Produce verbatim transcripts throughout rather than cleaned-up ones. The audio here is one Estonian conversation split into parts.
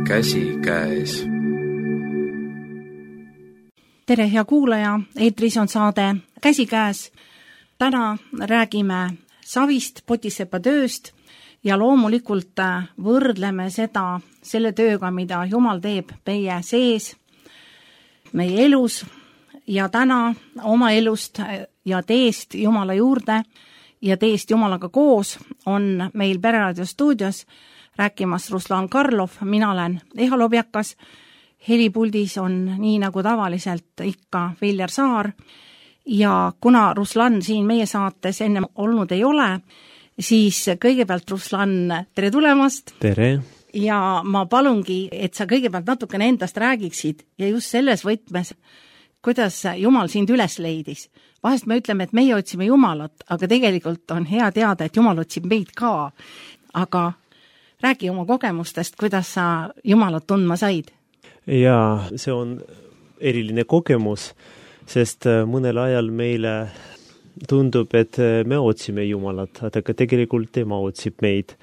käsikäes. Tere, hea kuulaja, eetris on saade Käsikäes. Täna räägime savist, potisepa tööst ja loomulikult võrdleme seda selle tööga, mida Jumal teeb meie sees, meie elus ja täna oma elust ja teest Jumala juurde ja teest Jumalaga koos on meil Pereraadio stuudios rääkimas Ruslan Karlov, mina olen Eha Lobjakas, helipuldis on nii nagu tavaliselt ikka Viljar Saar ja kuna Ruslan siin meie saates enne olnud ei ole, siis kõigepealt Ruslan, tere tulemast! Tere! Ja ma palungi, et sa kõigepealt natukene endast räägiksid ja just selles võtmes, kuidas Jumal sind üles leidis. Vahest me ütleme, et meie otsime Jumalat, aga tegelikult on hea teada, et Jumal otsib meid ka. Aga räägi oma kogemustest, kuidas sa Jumalat tundma said. Jaa, see on eriline kogemus, sest mõnel ajal meile tundub, et me otsime Jumalat, aga tegelikult tema otsib meid.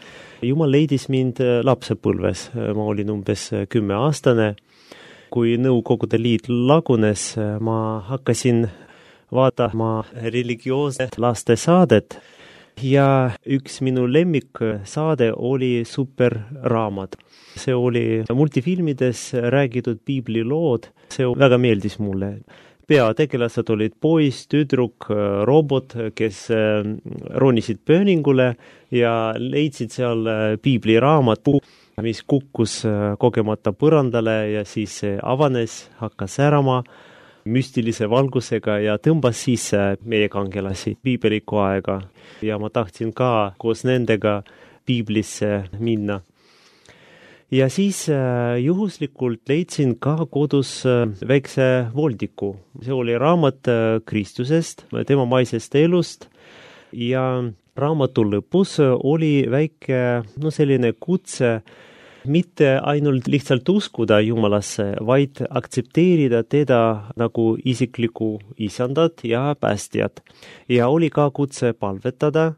Jumal leidis mind lapsepõlves, ma olin umbes kümme aastane. Kui Nõukogude Liit lagunes, ma hakkasin vaatama religioosset lastesaadet ja üks minu lemmiksaade oli Superraamat. See oli multifilmides räägitud piiblilood, see väga meeldis mulle. Peategelased olid poiss, tüdruk, robot, kes ronisid pööningule ja leidsid seal piibliraamat, mis kukkus kogemata põrandale ja siis avanes, hakkas särama müstilise valgusega ja tõmbas sisse meie kangelasi piibeliku aega. Ja ma tahtsin ka koos nendega piiblisse minna. Ja siis juhuslikult leidsin ka kodus väikse voldiku. See oli raamat Kristusest, tema maisest elust ja raamatu lõpus oli väike no selline kutse mitte ainult lihtsalt uskuda Jumalasse, vaid aktsepteerida teda nagu isiklikku isandat ja päästjat. Ja oli ka kutse palvetada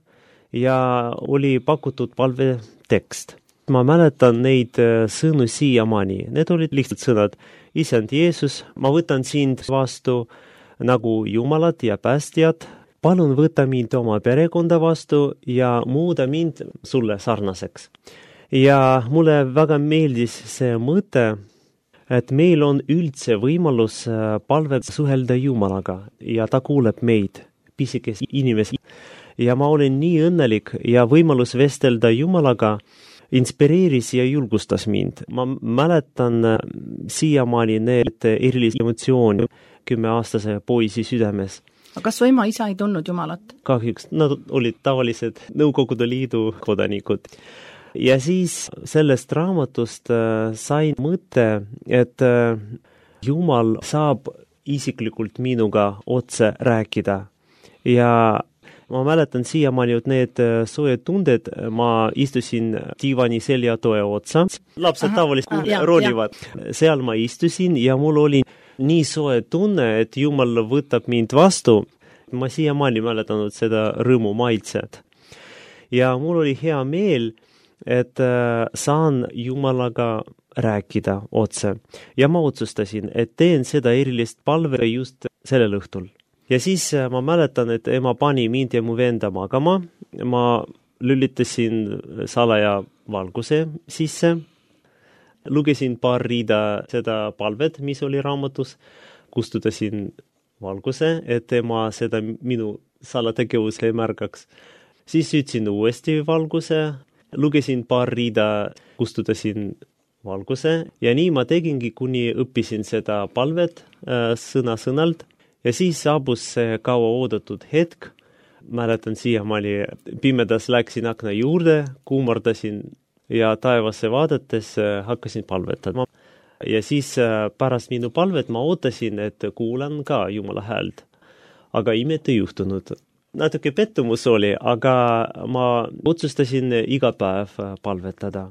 ja oli pakutud palvetekst. Ma mäletan neid sõnu siiamaani. Need olid lihtsalt sõnad. Isand Jeesus, ma võtan sind vastu nagu Jumalat ja päästjat. Palun võta mind oma perekonda vastu ja muuda mind sulle sarnaseks. Ja mulle väga meeldis see mõte, et meil on üldse võimalus palvet suhelda Jumalaga ja ta kuuleb meid, pisikesi inimesi. Ja ma olen nii õnnelik ja võimalus vestelda Jumalaga inspireeris ja julgustas mind. Ma mäletan siiamaani need erilisi emotsiooni kümmeaastase poisi südames. Aga kas su ema isa ei tundnud Jumalat? Kahjuks, nad olid tavalised Nõukogude Liidu kodanikud. Ja siis sellest raamatust sain mõte, et Jumal saab isiklikult minuga otse rääkida. Ja ma mäletan siiamaani, et need soojed tunded, ma istusin diivani seljatoe otsa. Lapsed tavaliselt ronivad. Seal ma istusin ja mul oli nii soe tunne, et Jumal võtab mind vastu. Ma siiamaani mäletanud seda rõõmu maitset. Ja mul oli hea meel, et saan Jumalaga rääkida otse. Ja ma otsustasin, et teen seda erilist palve just sellel õhtul. Ja siis ma mäletan, et ema pani mind ja mu venda magama. Ma lülitasin salaja valguse sisse. Lugesin paar riida seda palvet, mis oli raamatus. Kustutasin valguse, et ema seda minu salategevus ei märgaks. Siis ütsin uuesti valguse. Lugesin paar riida, kustutasin valguse ja nii ma tegingi, kuni õppisin seda palvet äh, sõna-sõnalt ja siis saabus see kaua oodatud hetk. Mäletan siiamaani, pimedas läksin akna juurde, kuumardasin ja taevasse vaadates äh, hakkasin palvetama. Ja siis äh, pärast minu palvet ma ootasin, et kuulan ka Jumala häält. Aga imet ei juhtunud. Natuke pettumus oli, aga ma otsustasin iga päev palvetada.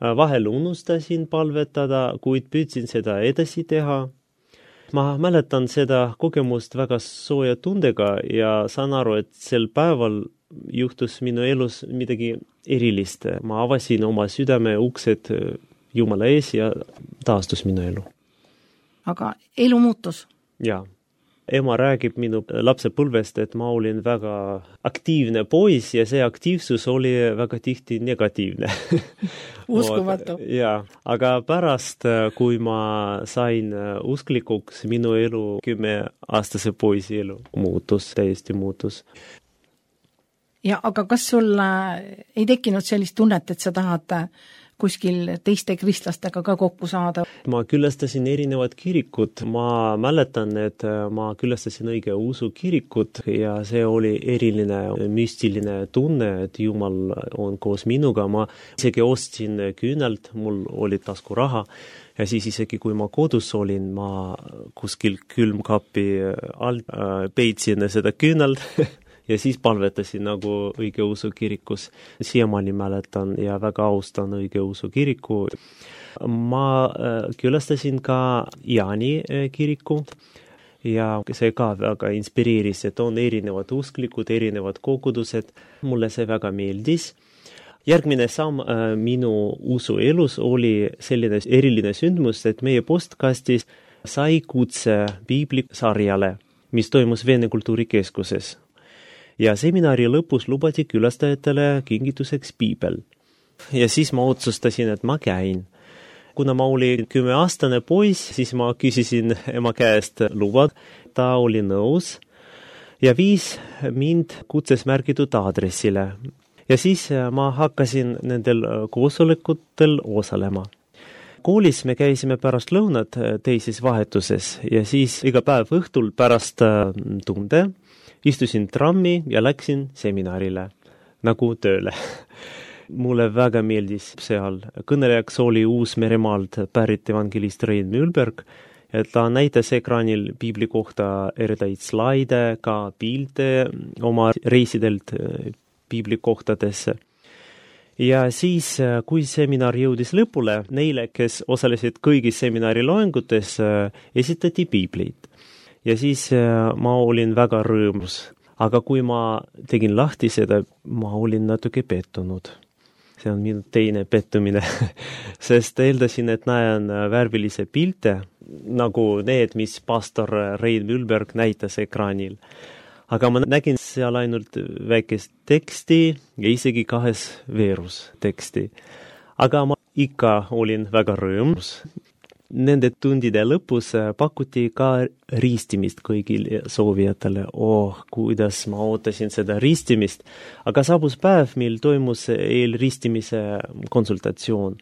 Vahel unustasin palvetada, kuid püüdsin seda edasi teha. Ma mäletan seda kogemust väga sooja tundega ja saan aru, et sel päeval juhtus minu elus midagi erilist. Ma avasin oma südame uksed Jumala ees ja taastus minu elu. Aga elu muutus? Jaa. Ema räägib minu lapsepõlvest, et ma olin väga aktiivne poiss ja see aktiivsus oli väga tihti negatiivne. Uskumatu. Jaa, aga pärast, kui ma sain usklikuks, minu elu kümme aastase poisi elu muutus, täiesti muutus. Ja aga kas sul ei tekkinud sellist tunnet, et sa tahad kuskil teiste kristlastega ka kokku saada? Ma külastasin erinevad kirikud. Ma mäletan, et ma külastasin õige usu kirikut ja see oli eriline müstiline tunne, et Jumal on koos minuga. Ma isegi ostsin küünalt, mul oli taskuraha ja siis isegi kui ma kodus olin, ma kuskil külmkapi alt peitsin seda küünalt ja siis palvetasin nagu õigeusu kirikus. Siiamaani mäletan ja väga austan õigeusu kiriku. Ma külastasin ka Jaani kiriku ja see ka väga inspireeris, et on erinevad usklikud, erinevad kogudused. Mulle see väga meeldis. Järgmine samm minu usu elus oli selline eriline sündmus, et meie postkastis sai kutse piiblisarjale, mis toimus Vene kultuurikeskuses. Ja seminari lõpus lubati külastajatele kingituseks piibel. Ja siis ma otsustasin, et ma käin. Kuna ma olin kümneaastane poiss, siis ma küsisin ema käest luba. Ta oli nõus ja viis mind kutses märgitud aadressile. Ja siis ma hakkasin nendel koosolekutel osalema. Koolis me käisime pärast lõunat teises vahetuses ja siis iga päev õhtul pärast tunde istusin trammi ja läksin seminarile, nagu tööle. Mulle väga meeldis seal. Kõnelejaks oli Uus-Meremaalt pärit evangelist Rein Mühlberg ja ta näitas ekraanil piibli kohta erinevaid slaide, ka pilte oma reisidelt piibli kohtadesse. Ja siis, kui seminar jõudis lõpule, neile, kes osalesid kõigis seminari loengutes, esitati piiblit. Ja siis ma olin väga rõõmus. Aga kui ma tegin lahti seda, ma olin natuke pettunud. See on minu teine pettumine, sest eeldasin, et näen värvilise pilte, nagu need, mis pastor Rein Mühlberg näitas ekraanil. Aga ma nägin seal ainult väikest teksti ja isegi kahes veerus teksti. Aga ma ikka olin väga rõõmus. Nende tundide lõpus pakuti ka ristimist kõigil soovijatele. Oh, kuidas ma ootasin seda ristimist. Aga saabus päev, mil toimus eelristimise konsultatsioon.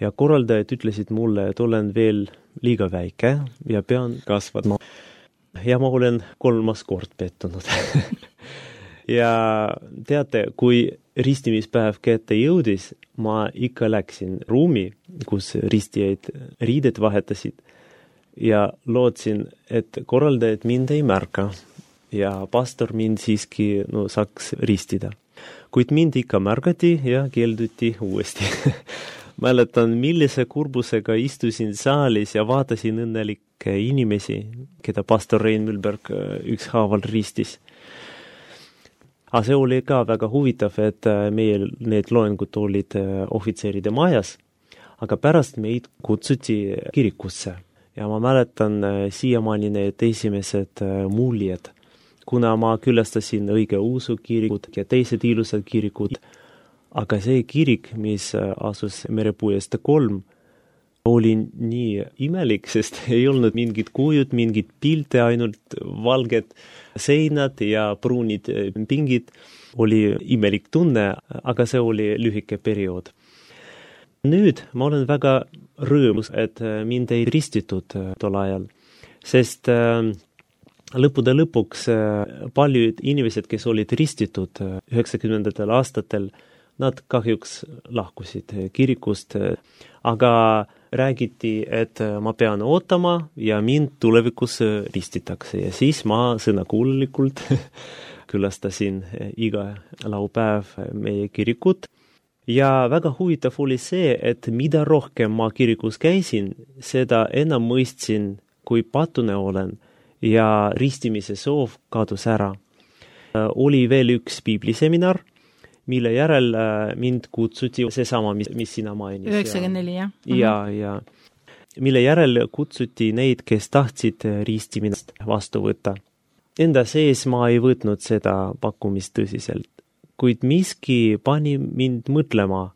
Ja korraldajad ütlesid mulle, et olen veel liiga väike ja pean kasvama. Ja ma olen kolmas kord pettunud. Ja teate, kui ristimispäev kätte jõudis, ma ikka läksin ruumi, kus ristijaid riided vahetasid ja lootsin, et korraldajad mind ei märka ja pastor mind siiski no, saaks ristida. Kuid mind ikka märgati ja keelduti uuesti. Mäletan, millise kurbusega istusin saalis ja vaatasin õnnelikke inimesi, keda pastor Rein Mühlberg ükshaaval ristis. Aga see oli ka väga huvitav, et meie need loengud olid ohvitseride majas, aga pärast meid kutsuti kirikusse. Ja ma mäletan siiamaani need esimesed muljed, kuna ma külastasin õigeusu kirikut ja teised ilusad kirikud. Aga see kirik, mis asus Merepuiestee kolm, oli nii imelik, sest ei olnud mingid kujud, mingid pilte, ainult valged seinad ja pruunid pingid. Oli imelik tunne, aga see oli lühike periood. Nüüd ma olen väga rõõmus, et mind ei ristitud tol ajal, sest lõppude lõpuks paljud inimesed, kes olid ristitud üheksakümnendatel aastatel, nad kahjuks lahkusid kirikust, aga räägiti, et ma pean ootama ja mind tulevikus ristitakse. Ja siis ma sõnakuulelikult külastasin iga laupäev meie kirikut. Ja väga huvitav oli see, et mida rohkem ma kirikus käisin, seda enam mõistsin, kui patune olen ja ristimise soov kadus ära. Oli veel üks piibliseminar, mille järel mind kutsuti seesama, mis, mis sina mainis. üheksakümmend neli, jah? Ja, ja mille järel kutsuti neid, kes tahtsid ristimist vastu võtta. Enda sees ma ei võtnud seda pakkumist tõsiselt, kuid miski pani mind mõtlema,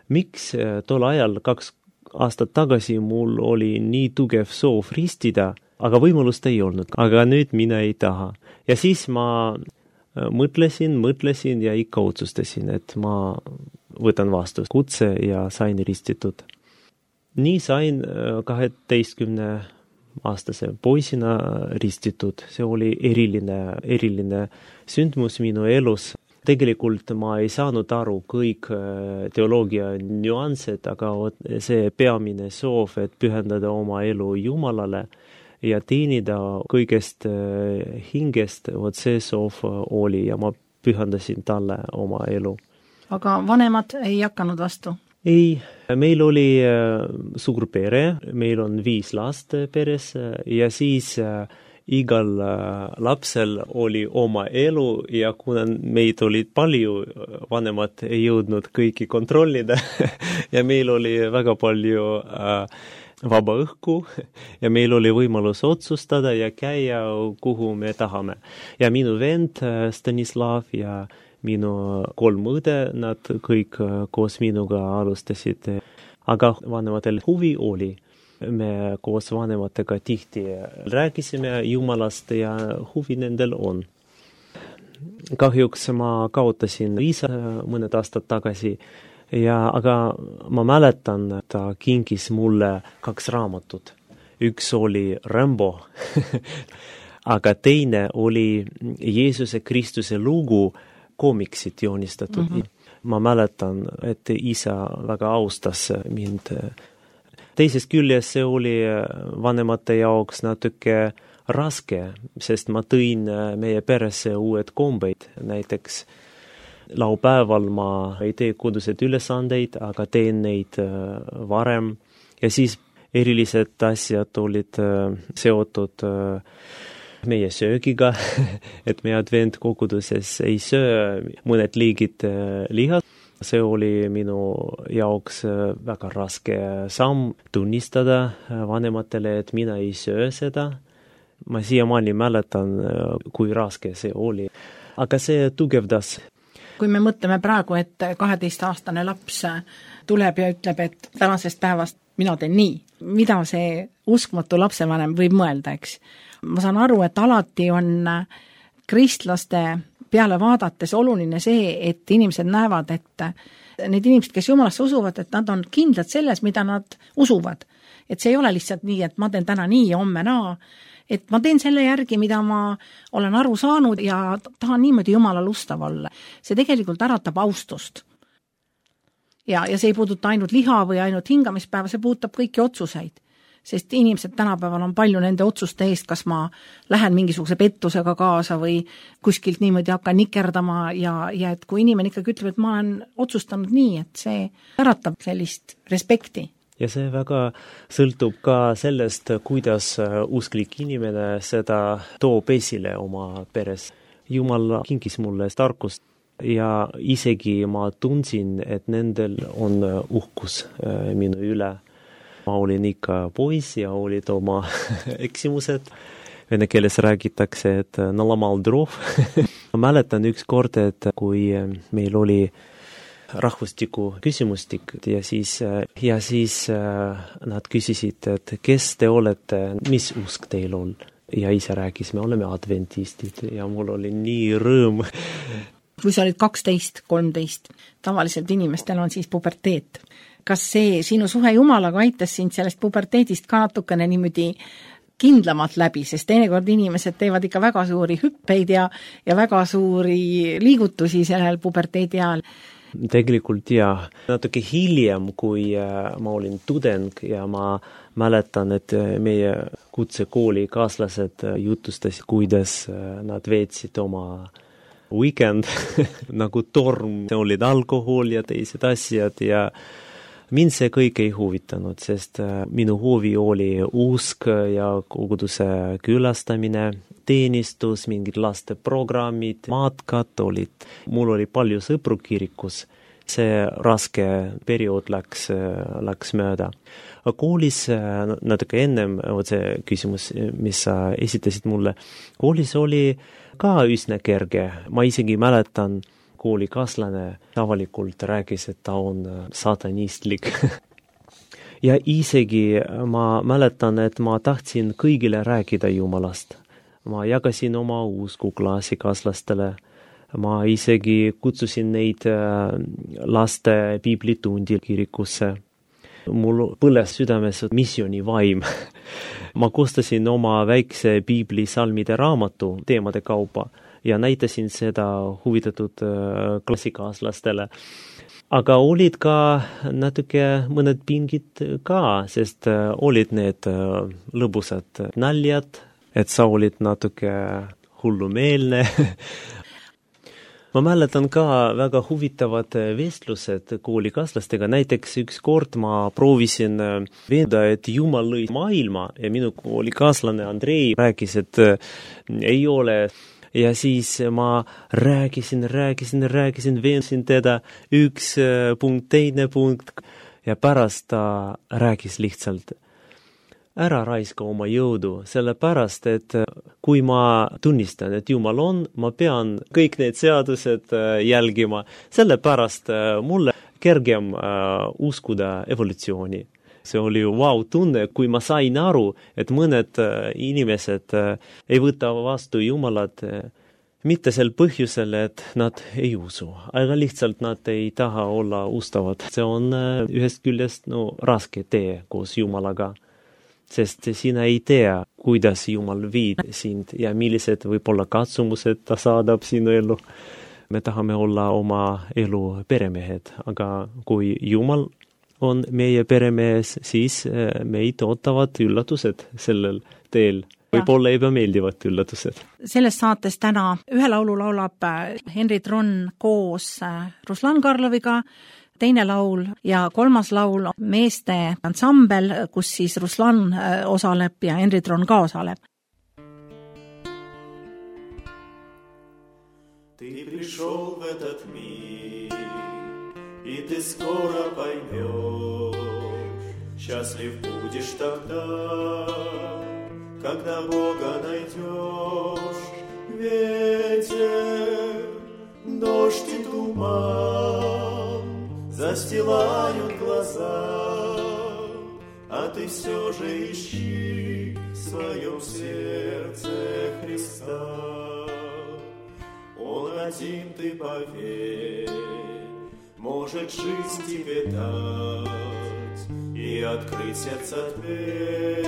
miks tol ajal kaks aastat tagasi mul oli nii tugev soov ristida, aga võimalust ei olnud, aga nüüd mina ei taha. Ja siis ma mõtlesin, mõtlesin ja ikka otsustasin, et ma võtan vastu kutse ja sain ristitud. Nii sain kaheteistkümne aastase poisina ristitud. See oli eriline, eriline sündmus minu elus. Tegelikult ma ei saanud aru kõik teoloogia nüansed, aga see peamine soov, et pühendada oma elu Jumalale ja teenida kõigest hingest, vot see soov oli ja ma pühendasin talle oma elu. Aga vanemad ei hakanud vastu? Ei, meil oli suur pere, meil on viis last peres ja siis igal lapsel oli oma elu ja kuna meid olid palju, vanemad ei jõudnud kõiki kontrollida ja meil oli väga palju vaba õhku ja meil oli võimalus otsustada ja käia, kuhu me tahame. Ja minu vend Stanislav ja minu kolm õde, nad kõik koos minuga alustasid. Aga vanematel huvi oli. Me koos vanematega tihti rääkisime Jumalast ja huvi nendel on. Kahjuks ma kaotasin isa mõned aastad tagasi, ja, aga ma mäletan, ta kinkis mulle kaks raamatut. Üks oli Rambo, aga teine oli Jeesuse Kristuse lugu, koomiksid joonistatud. Mm-hmm. Ma mäletan, et isa väga austas mind. Teisest küljest see oli vanemate jaoks natuke raske, sest ma tõin meie peresse uued kombeid. Näiteks laupäeval ma ei tee kodused ülesandeid, aga teen neid varem. Ja siis erilised asjad olid seotud meie söögiga, et meie adventkoguduses ei söö mõned liigid liha. See oli minu jaoks väga raske samm tunnistada vanematele, et mina ei söö seda. Ma siiamaani mäletan, kui raske see oli. Aga see tugevdas. Kui me mõtleme praegu, et kaheteistaastane laps tuleb ja ütleb, et tänasest päevast mina teen nii, mida see uskmatu lapsevanem võib mõelda, eks? Ma saan aru, et alati on kristlaste peale vaadates oluline see, et inimesed näevad, et need inimesed, kes Jumalasse usuvad, et nad on kindlad selles, mida nad usuvad. Et see ei ole lihtsalt nii, et ma teen täna nii ja homme naa, et ma teen selle järgi, mida ma olen aru saanud ja tahan niimoodi Jumalal ustav olla. See tegelikult äratab austust. Ja, ja see ei puuduta ainult liha või ainult hingamispäeva, see puudutab kõiki otsuseid. Sest inimesed tänapäeval on palju nende otsuste eest, kas ma lähen mingisuguse pettusega kaasa või kuskilt niimoodi hakkan nikerdama ja, ja et kui inimene ikkagi ütleb, et ma olen otsustanud nii, et see äratab sellist respekti. Ja see väga sõltub ka sellest, kuidas usklik inimene seda toob esile oma peres. Jumal kinkis mulle tarkust ja isegi ma tundsin, et nendel on uhkus minu üle. Ma olin ikka pois ja olid oma eksimused. Vene keeles räägitakse, et nalamal drov. Ma mäletan üks kord, et kui meil oli rahvustiku küsimustik ja siis, ja siis nad küsisid, et kes te olete, mis usk teil on? Ja isa rääkis, me oleme adventistid ja mul oli nii rõõm. Kui sa olid kaksteist, kolmteist, tavaliselt inimestel on siis puberteet. Kas see sinu suhe Jumalaga aitas sind sellest puberteedist ka natukene niimoodi kindlamalt läbi, sest teinekord inimesed teevad ikka väga suuri hüppeid ja, ja väga suuri liigutusi sellel puberteedi ajal? Tegelikult jah, natuke hiljem, kui ma olin tudeng ja ma mäletan, et meie kutsekooli kaaslased jutustasid, kuidas nad veetsid oma weekend nagu torm, olid alkohol ja teised asjad ja mind see kõik ei huvitanud, sest minu huvi oli usk ja koguduse külastamine, teenistus, mingid lasteprogrammid, matkad olid. Mul oli palju sõpru kirikus. See raske periood läks, läks mööda. Koolis, natuke ennem see küsimus, mis sa esitasid mulle, koolis oli ka üsna kerge. Ma isegi mäletan, koolikaaslane avalikult rääkis, et ta on satanistlik. Ja isegi ma mäletan, et ma tahtsin kõigile rääkida Jumalast. Ma jagasin oma usku klassikaaslastele. Ma isegi kutsusin neid laste piiblitundi kirikusse. Mul põles südames missiooni vaim. Ma koostasin oma väikse piiblisalmide raamatu teemade kaupa ja näitasin seda huvitatud klassikaaslastele. Aga olid ka natuke mõned pingid ka, sest olid need lõbusad naljad, et sa olid natuke hullumeelne. Ma mäletan ka väga huvitavad vestlused koolikaaslastega. Näiteks üks kord ma proovisin veenda, et Jumal lõi maailma ja minu koolikaaslane Andrei rääkis, et ei ole. Ja siis ma rääkisin, rääkisin, rääkisin, veensin teda üks punkt, teine punkt ja pärast ta rääkis lihtsalt. Ära raiska oma jõudu, sellepärast, et kui ma tunnistan, et Jumal on, ma pean kõik need seadused jälgima, sellepärast mulle kergem uskuda evolutsiooni. See oli vau tunne, kui ma sain aru, et mõned inimesed ei võta vastu Jumalat mitte sel põhjusel, et nad ei usu, aga lihtsalt nad ei taha olla ustavad. See on ühest küljest no, raske tee koos Jumalaga. Sest sina ei tea, kuidas Jumal viid sind ja millised võib-olla katsumused ta saadab sinu elu. Me tahame olla oma elu peremehed, aga kui Jumal on meie peremees, siis meid ootavad üllatused sellel teel. Võib-olla ebameeldivad üllatused. Selles saates täna ühe laulu laulab Henri Tron koos Ruslan Karloviga, teine laul ja kolmas laul meeste ansambel, kus siis Ruslan osaleb ja Henri Tron ka osaleb. Ты пришел в этот мир, и ты скоро поймешь, счастлив будешь тогда, когда Бога найдешь. Ветер, дождь и туман застилают глаза, а ты все же ищи в своем сердце Христа. Он один, ты поверь, может жизнь тебе дать и открыть сердце дверь,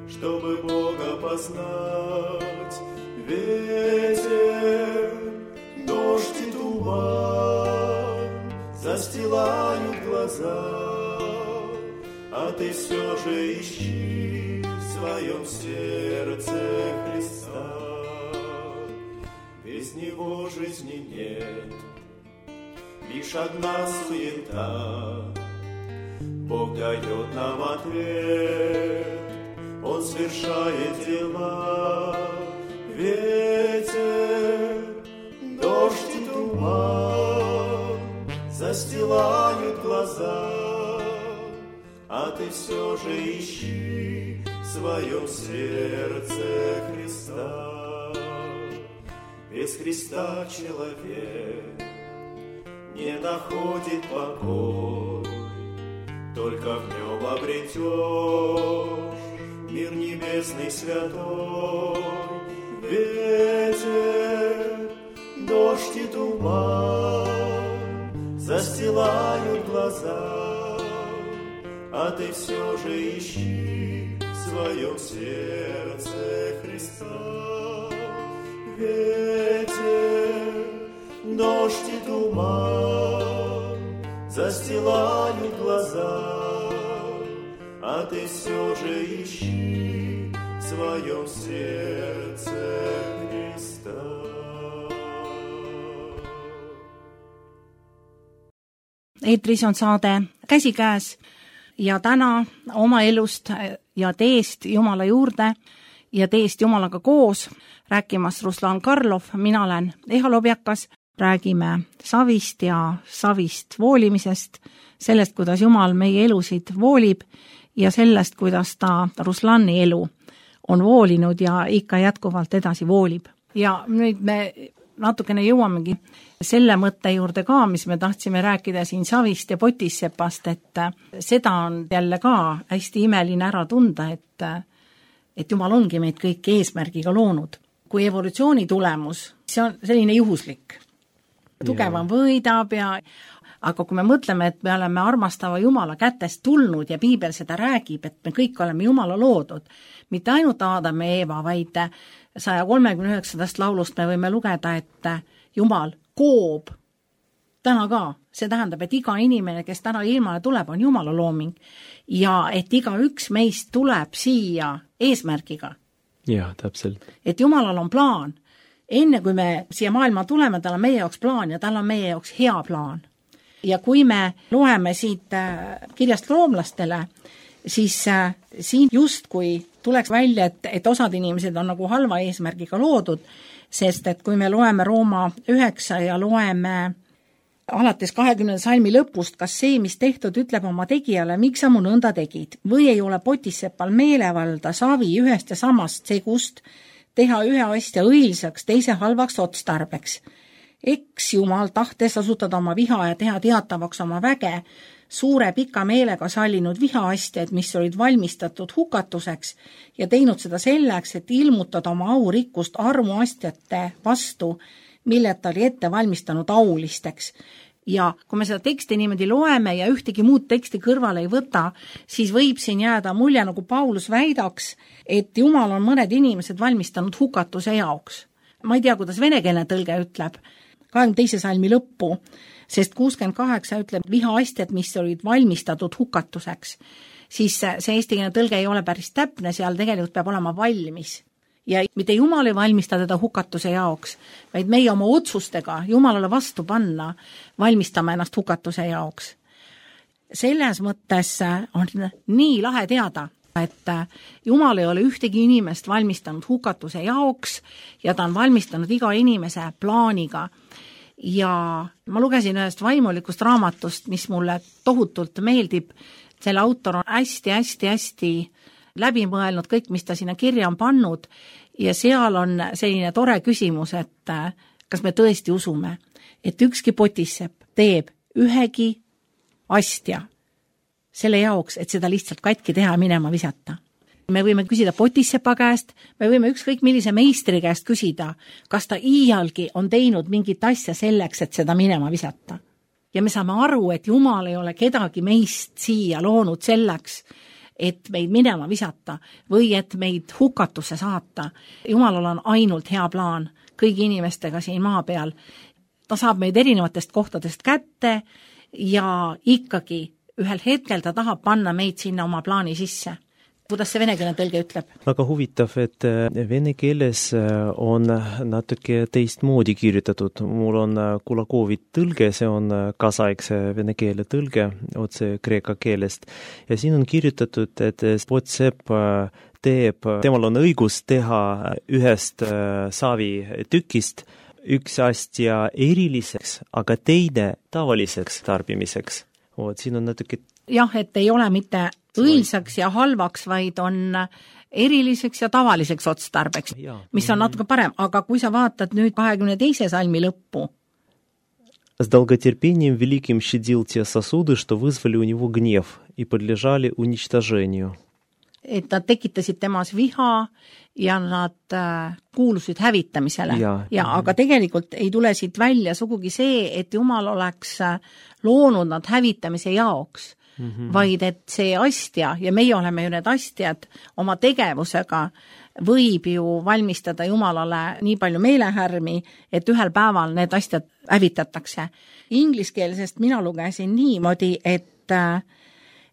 чтобы Бога познать. Ветер, дождь и туман застилают глаза, а ты все же ищи в своем сердце Христа. Без Него жизни нет, лишь одна суета. Бог дает нам ответ, Он совершает дела. Ветер, дождь и туман застилают глаза, а ты все же ищи в своем сердце Христа. Без Христа человек не находит покой, только в нем обретешь мир небесный святой. Ветер, дождь и туман застилают глаза, а ты все же ищи в своем сердце Христа. Ветер, дождь и туман застилают глаза, а ты все же ищи в своем сердце Христа. Eetris on saade käsikäes ja täna oma elust ja teest Jumala juurde ja teest Jumalaga koos rääkimas Ruslan Karlov, mina olen Eha Lobjakas, räägime savist ja savist voolimisest, sellest, kuidas Jumal meie elusid voolib ja sellest, kuidas ta Ruslani elu on voolinud ja ikka jätkuvalt edasi voolib. Ja nüüd me natukene jõuamegi selle mõtte juurde ka, mis me tahtsime rääkida siin savist ja potissepast, et seda on jälle ka hästi imeline ära tunda, et, et Jumal ongi meid kõik eesmärgiga loonud. Kui evolutsiooni tulemus, see on selline juhuslik. Tugevam võidab ja aga kui me mõtleme, et me oleme armastava Jumala kätest tulnud ja Piibel seda räägib, et me kõik oleme Jumala loodud, mitte ainult Aadam ja Eeva, vaid saja kolmekümne üheksandast laulust me võime lugeda, et Jumal koob täna ka. See tähendab, et iga inimene, kes täna ilmale tuleb, on Jumala looming ja et iga üks meist tuleb siia eesmärgiga. Jah, täpselt. Et Jumalal on plaan. Enne kui me siia maailma tuleme, tal on meie jaoks plaan ja tal on meie jaoks hea plaan. Ja kui me loeme siit kirjast roomlastele, siis siin just kui tuleks välja, et, et osad inimesed on nagu halva eesmärgiga loodud, sest et kui me loeme Rooma üheksa ja loeme alates kahekümnenda salmi lõpust, kas see, mis tehtud, ütleb oma tegijale, miks sa mu nõnda tegid, või ei ole potissepal meelevalda savi ühest ja samast segust, teha ühe asja õilsaks, teise halvaks otstarbeks. Eks Jumal tahtes asutada oma viha ja teha teatavaks oma väge, suure pika meelega sallinud vihaastjad, mis olid valmistatud hukatuseks ja teinud seda selleks, et ilmutada oma aurikkust armuastjate vastu, mille ta oli ette valmistanud aulisteks. Ja kui me seda teksti niimoodi loeme ja ühtegi muud teksti kõrvale ei võta, siis võib siin jääda mulje, nagu Paulus väidaks, et Jumal on mõned inimesed valmistanud hukatuse jaoks. Ma ei tea, kuidas venekeelne tõlge ütleb, kahekümne teise salmi lõppu, sest kuuskümmend kaheksa ütleb vihaastjad, mis olid valmistatud hukatuseks. Siis see eestikeelne tõlge ei ole päris täpne, seal tegelikult peab olema valmis. Ja mitte Jumal ei valmista teda hukatuse jaoks, vaid meie oma otsustega Jumalale vastu panna, valmistame ennast hukatuse jaoks. Selles mõttes on nii lahe teada, et Jumal ei ole ühtegi inimest valmistanud hukatuse jaoks ja ta on valmistanud iga inimese plaaniga. Ja ma lugesin ühest vaimulikust raamatust, mis mulle tohutult meeldib. Selle autor on hästi-hästi-hästi läbi mõelnud kõik, mis ta sinna kirja on pannud ja seal on selline tore küsimus, et kas me tõesti usume, et ükski potissepp teeb ühegi astja selle jaoks, et seda lihtsalt katki teha minema visata. Me võime küsida potissepa käest, me võime ükskõik millise meistri käest küsida, kas ta iialgi on teinud mingit asja selleks, et seda minema visata. Ja me saame aru, et Jumal ei ole kedagi meist siia loonud selleks, et meid minema visata või et meid hukatusse saata. Jumalal on ainult hea plaan kõigi inimestega siin maa peal. Ta saab meid erinevatest kohtadest kätte ja ikkagi ühel hetkel ta tahab panna meid sinna oma plaani sisse. Kuidas see venekeelne tõlge ütleb? Väga huvitav, et vene keeles on natuke teistmoodi kirjutatud. Mul on Kulakovit tõlge, see on kaasaegse vene keele tõlge otse kreeka keelest. Ja siin on kirjutatud, et potsepp teeb, temal on õigus teha ühest saavi tükist üks astja eriliseks, aga teine tavaliseks tarbimiseks. Oot, siin on natuke... Jah, et ei ole mitte õilsaks ja halvaks, vaid on eriliseks ja tavaliseks otstarbeks, mis on natuke parem. Aga kui sa vaatad nüüd kahekümne teise salmi lõppu. С долготерпением великим щадил те сосуды, что вызвали у него гнев и подлежали уничтожению. Et nad tekitasid temas viha ja nad kuulusid hävitamisele. Ja, ja aga tegelikult ei tule siit välja sugugi see, et Jumal oleks loonud nad hävitamise jaoks, mm-hmm. vaid et see astja, ja meie oleme ju need astjad oma tegevusega, võib ju valmistada Jumalale nii palju meelehärmi, et ühel päeval need astjad hävitatakse. Ingliskeelsest mina lugesin niimoodi, et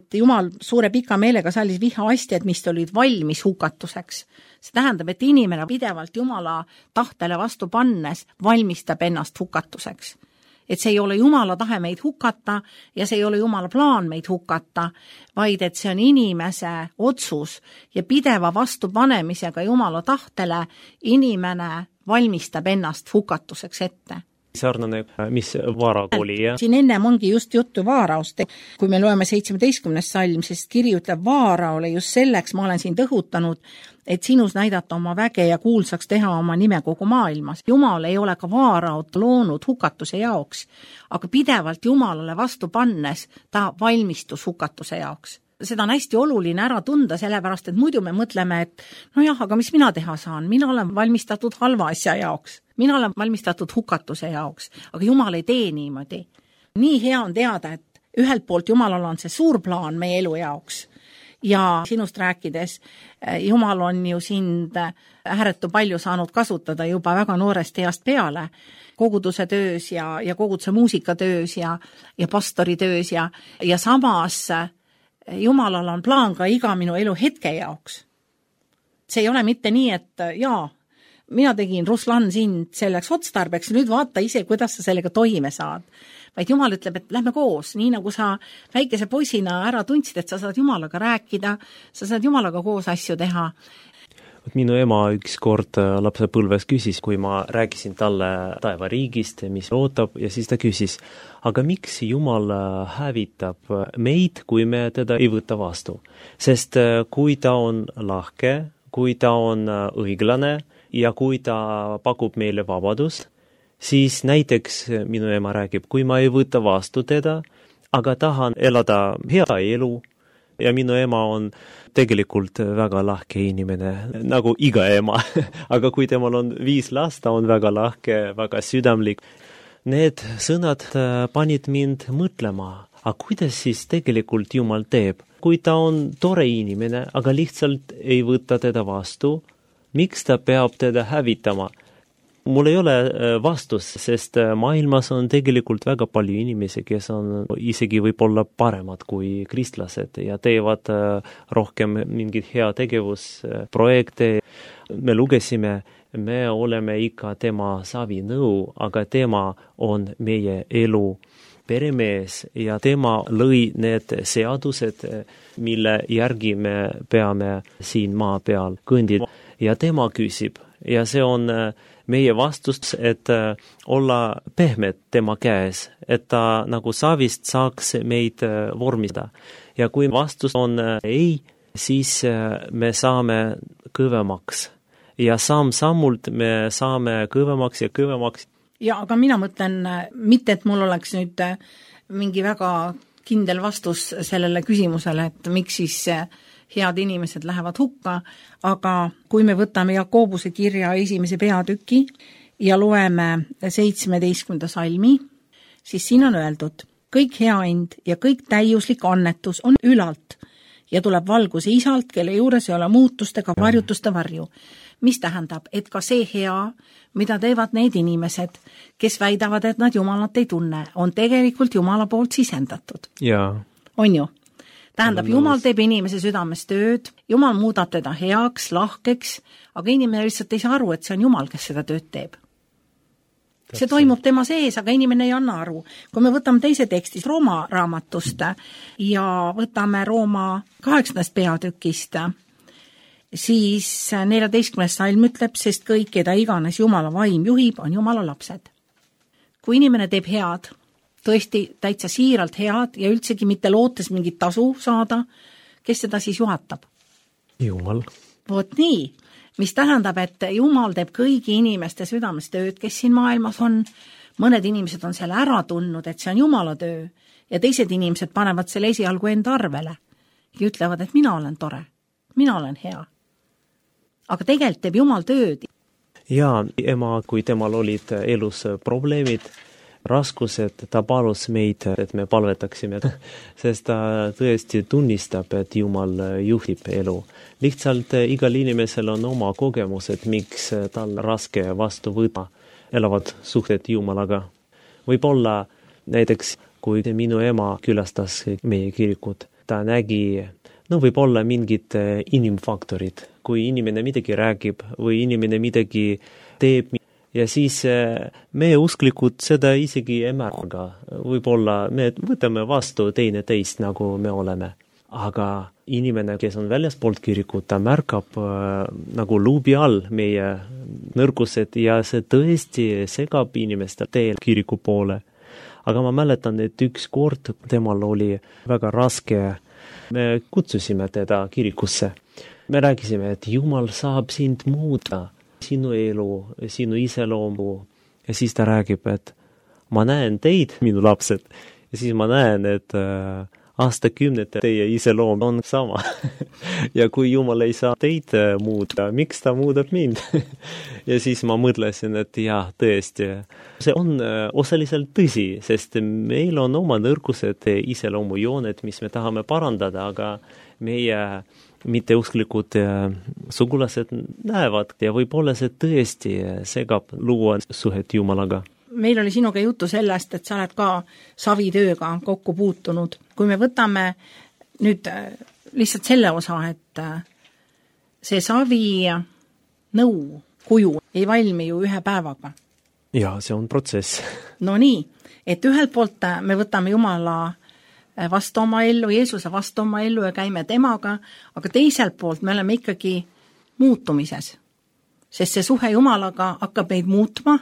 Jumal suure pika meelega sallis viha astjad, mis olid valmis hukatuseks. See tähendab, et inimene pidevalt Jumala tahtele vastu pannes valmistab ennast hukatuseks. et see ei ole Jumala tahe meid hukata ja see ei ole Jumala plaan meid hukata, vaid et see on inimese otsus ja pideva vastupanemisega Jumala tahtele inimene valmistab ennast hukatuseks ette. Sarnane, mis vaara oli, jah? Siin ennem ongi just juttu vaaraust. Kui me loeme seitsmeteistkümnes salm, sest kiri ütleb vaara ole just selleks, ma olen siin tõhutanud, et sinus näidata oma väge ja kuulsaks teha oma nime kogu maailmas. Jumal ei ole ka vaaraut loonud hukatuse jaoks, aga pidevalt Jumalale vastu pannes ta valmistus hukatuse jaoks. Seda on hästi oluline ära tunda, sellepärast, et muidu me mõtleme, et no jah, aga mis mina teha saan? Mina olen valmistatud halva asja jaoks. Mina olen valmistatud hukatuse jaoks, aga Jumal ei tee niimoodi. Nii hea on teada, et ühelt poolt Jumalal on see suur plaan meie elu jaoks ja sinust rääkides Jumal on ju sind ääretu palju saanud kasutada juba väga noorest east peale koguduse töös ja, ja koguduse muusikatöös ja, ja pastori töös ja, ja samas Jumalal on plaan ka iga minu elu hetke jaoks. See ei ole mitte nii, et jaa, mina tegin Ruslan sind selleks otstarbeks, nüüd vaata ise, kuidas sa sellega toime saad. Vaid Jumal ütleb, et lähme koos, nii nagu sa väikese poisina ära tundsid, et sa saad Jumalaga rääkida, sa saad Jumalaga koos asju teha. Minu ema üks kord lapsepõlves küsis, kui ma rääkisin talle taevariigist, mis ootab, ja siis ta küsis, aga miks Jumal hävitab meid, kui me teda ei võta vastu? Sest kui ta on lahke, kui ta on õiglane ja kui ta pakub meile vabadust, siis näiteks minu ema räägib, kui ma ei võta vastu teda, aga tahan elada hea elu, ja minu ema on tegelikult väga lahke inimene, nagu iga ema. Aga kui temal on viis last, ta on väga lahke, väga südamlik. Need sõnad panid mind mõtlema, aga kuidas siis tegelikult Jumal teeb? Kui ta on tore inimene, aga lihtsalt ei võta teda vastu, miks ta peab teda hävitama? Mul ei ole vastus, sest maailmas on tegelikult väga palju inimesi, kes on isegi võib-olla paremad kui kristlased ja teevad rohkem mingit hea tegevusprojekte. Me lugesime, me oleme ikka tema savinõu, aga tema on meie elu peremees ja tema lõi need seadused, mille järgi me peame siin maa peal kõndida. Ja tema küsib ja see on meie vastus, et olla pehmed tema käes, et ta nagu savist saaks meid vormida. Ja kui vastus on ei, siis me saame kõvemaks. Ja samm-sammult me saame kõvemaks ja kõvemaks. Ja, aga mina mõtlen, mitte et mul oleks nüüd mingi väga kindel vastus sellele küsimusele, et miks siis head inimesed lähevad hukka, aga kui me võtame Jakobuse kirja esimese peatüki ja loeme seitsmeteistkümnenda salmi, siis siin on öeldud, kõik hea ind ja kõik täiuslik annetus on ülalt ja tuleb valguse isalt, kelle juures ei ole muutustega varjutuste varju. Mis tähendab, et ka see hea, mida teevad need inimesed, kes väidavad, et nad Jumalat ei tunne, on tegelikult Jumala poolt sisendatud. Jaa. On ju? Tähendab, Jumal teeb inimese südames tööd, Jumal muudab teda heaks, lahkeks, aga inimene lihtsalt ei saa aru, et see on Jumal, kes seda tööd teeb. See toimub tema sees, aga inimene ei anna aru. Kui me võtame teise tekstis Rooma raamatust ja võtame Rooma kaheksandast peatükist, siis neljateistkümnes salm ütleb, sest kõik, keda iganes Jumala vaim juhib, on Jumala lapsed. Kui inimene teeb head, tõesti täitsa siiralt head ja üldsegi mitte lootes mingit tasu saada, kes seda siis juhatab? Jumal. Vot nii, mis tähendab, et Jumal teeb kõigi inimeste südames tööd, kes siin maailmas on. Mõned inimesed on selle ära tundnud, et see on Jumala töö ja teised inimesed panevad selle esialgu enda arvele ja ütlevad, et mina olen tore, mina olen hea. Aga tegelikult teeb Jumal tööd. Ja ema, kui temal olid elus probleemid, raskused, ta palus meid, et me palvetaksime, sest ta tõesti tunnistab, et Jumal juhib elu. Lihtsalt igal inimesel on oma kogemused, miks tal raske vastu võtta elavad suhted Jumalaga. Võib-olla näiteks, kui minu ema külastas meie kirikut, ta nägi, no võib-olla mingid inimfaktorid, kui inimene midagi räägib või inimene midagi teeb, ja siis me usklikud seda isegi ei märga. Võib-olla me võtame vastu teine teist, nagu me oleme. Aga inimene, kes on väljaspoolt kirikut, ta märkab äh, nagu luubi all meie nõrgused ja see tõesti segab inimeste teel kiriku poole. Aga ma mäletan, et üks kord temal oli väga raske. Me kutsusime teda kirikusse. Me rääkisime, et Jumal saab sind muuta, sinu elu, sinu iseloomu. Ja siis ta räägib, et ma näen teid, minu lapsed, ja siis ma näen, et äh, aastakümnete teie iseloom on sama. ja kui Jumal ei saa teid muuta, miks ta muudab mind? ja siis ma mõtlesin, et jah, tõesti, see on osaliselt tõsi, sest meil on oma nõrgused iseloomujooned, mis me tahame parandada, aga meie mitteusklikud sugulased näevad ja võib-olla see tõesti segab luua suhet Jumalaga. Meil oli sinuga juttu sellest, et sa oled ka savitööga kokku puutunud. Kui me võtame nüüd lihtsalt selle osa, et see savi nõu kuju ei valmi ju ühe päevaga. Ja, see on protsess. No nii, et ühelt poolt me võtame Jumala vastu oma ellu, Jeesuse vastu oma ellu ja käime temaga, aga teiselt poolt me oleme ikkagi muutumises. Sest see suhe Jumalaga hakkab meid muutma,